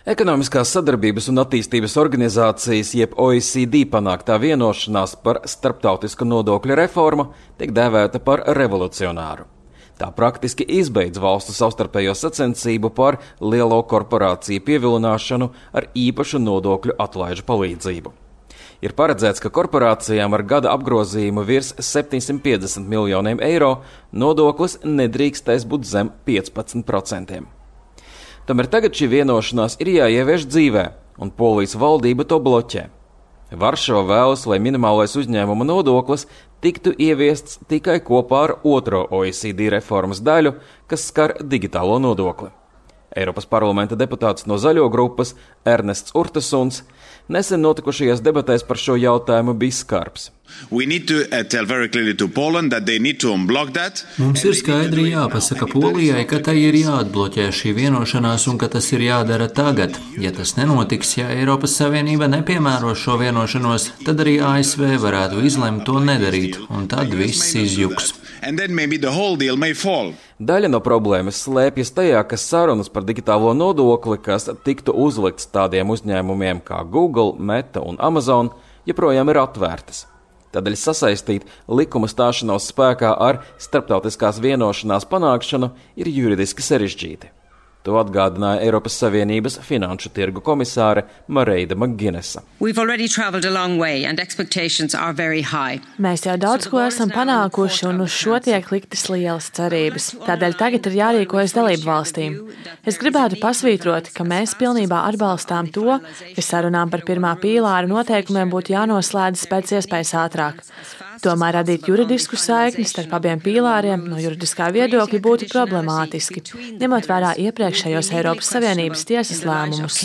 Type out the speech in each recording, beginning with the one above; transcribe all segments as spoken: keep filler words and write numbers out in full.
Ekonomiskās sadarbības un attīstības organizācijas jeb O E C D panāktā vienošanās par starptautisku nodokļu reformu tiek dēvēta par revolucionāru. Tā praktiski izbeidz valstu savstarpējo sacensību par lielo korporāciju pievilināšanu ar īpašu nodokļu atlaižu palīdzību. Ir paredzēts, ka korporācijām ar gada apgrozījumu virs septiņsimt piecdesmit miljoniem eiro nodoklis nedrīkstēs būt zem piecpadsmit procentiem. Tomēr tagad šī vienošanās ir jāievieš dzīvē, un Polijas valdība to bloķē. Varšava vēlas, lai minimālais uzņēmuma nodoklis tiktu ieviests tikai kopā ar otro O E C D reformas daļu, kas skar digitālo nodokli. Eiropas parlamenta deputāts no Zaļo grupas Ernests Urtasuns nesen notikušajās debatēs par šo jautājumu bija skarbs. Mums ir skaidri jāpasaka Polijai, ka tai ir jāatbloķē šī vienošanās un ka tas ir jādara tagad. Ja tas nenotiks, ja Eiropas Savienība nepiemēros šo vienošanos, tad arī A S V varētu izlemt to nedarīt, un tad viss izjuks. Daļa no problēmas slēpjas tajā, ka sarunas par digitālo nodokli, kas tiktu uzlikts tādiem uzņēmumiem kā Google, Meta un Amazon, joprojām ir atvērtas. Tādēļ sasaistīt likuma stāšanos spēkā ar starptautiskās vienošanās panākšanu ir juridiski sarežģīti. To atgādināja Eiropas Savienības finanšu tirgu komisāre Mareida Maginesa. Mēs jau daudz ko esam panākuši un uz šo tiek liktas lielas cerības. Tādēļ tagad ir jārīkojas dalību valstīm. Es gribētu pasvītrot, ka mēs pilnībā atbalstām to, ka sarunām par pirmā pīlāra noteikumiem būtu jānoslēdzas pēc iespējas ātrāk. Tomēr radīt juridisku saikni starp abiem pīlāriem no juridiskā viedokļa būtu problemātiski, ņemot vērā iepriekšējos Eiropas Savienības tiesas lēmumus.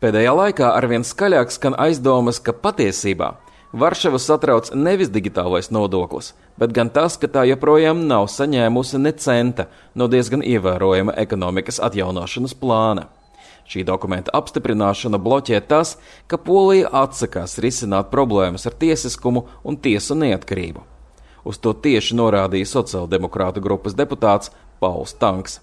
Pēdējā laikā arvien skaļāk skan aizdomas, ka patiesībā Varšavu satrauc nevis digitālais nodoklis, bet gan tas, ka tā joprojām nav saņēmusi ne centa no diezgan ievērojama ekonomikas atjaunošanas plāna. Šī dokumenta apstiprināšana bloķē tas, ka Polija atsakās risināt problēmas ar tiesiskumu un tiesu neatkarību. Uz to tieši norādīja sociāldemokrātu grupas deputāts Pauls Tanks.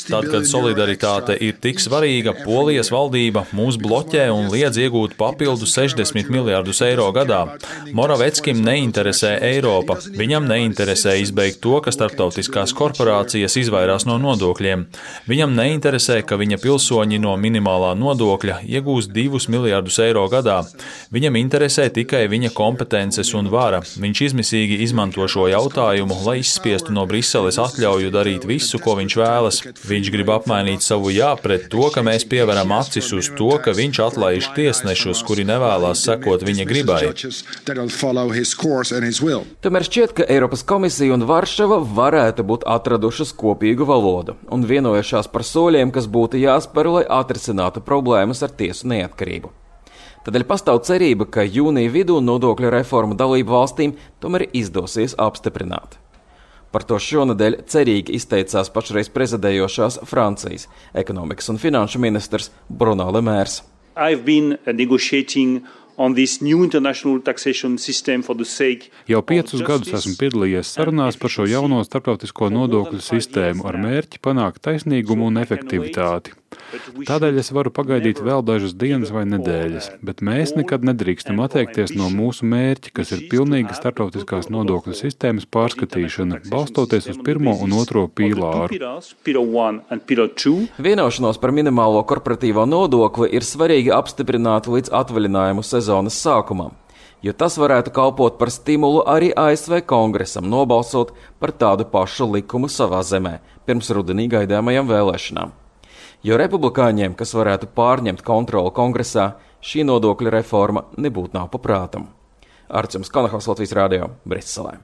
Tad, kad solidaritāte ir tik svarīga, Polijas valdība mūs bloķē un liedz iegūt papildu sešdesmit miljardus eiro gadā. Moraveckim neinteresē Eiropa. Viņam neinteresē izbeigt to, ka starptautiskās korporācijas izvairās no nodokļiem. Viņam neinteresē, ka viņa pilsoņi no minimālā nodokļa iegūs divus miljardus eiro gadā. Viņam interesē tikai viņa kompetences un vara. Viņš izmisīgi izmanto šo jautājumu, lai izspiestu no Briseles atļauju darīt visu, ko viņš vēlas. Viņš grib apmainīt savu jā pret to, ka mēs pieveram acis uz to, ka viņš atlaiž tiesnešus, kuri nevēlās sekot viņa gribai. Tomēr šķiet, ka Eiropas komisija un Varšava varētu būt atradušas kopīgu valodu un vienojušās par soļiem, kas būtu jāspēr, lai atrisinātu problēmas ar tiesu neatkarību. Tādēļ pastāv cerība, ka jūnija vidū nodokļu reformu dalību valstīm tomēr izdosies apstiprināt. Par to šonedēļ cerīgi izteicās pašreiz prezidējošās Francijas ekonomikas un finanšu ministrs Bruno Le Maire. Jau piecus gadus esmu piedalījies sarunās par šo jauno starptautisko nodokļu sistēmu ar mērķi panākt taisnīgumu un efektivitāti. Tādēļ es varu pagaidīt vēl dažas dienas vai nedēļas, bet mēs nekad nedrīkstam atteikties no mūsu mērķa, kas ir pilnīga starptautiskās nodokļu sistēmas pārskatīšana, balstoties uz pirmo un otro pīlāru. Vienošanos par minimālo korporatīvo nodokli ir svarīgi apstiprināt līdz atvaļinājumu sezonas sākumam, jo tas varētu kalpot par stimulu arī A S V kongresam nobalsot par tādu pašu likumu savā zemē pirms rudenī gaidāmajām vēlēšanām. Jo republikāņiem, kas varētu pārņemt kontroli kongresā, šī nodokļu reforma nebūtu nav paprātam. Arčuns Konahaus, Latvijas radio, Briselē.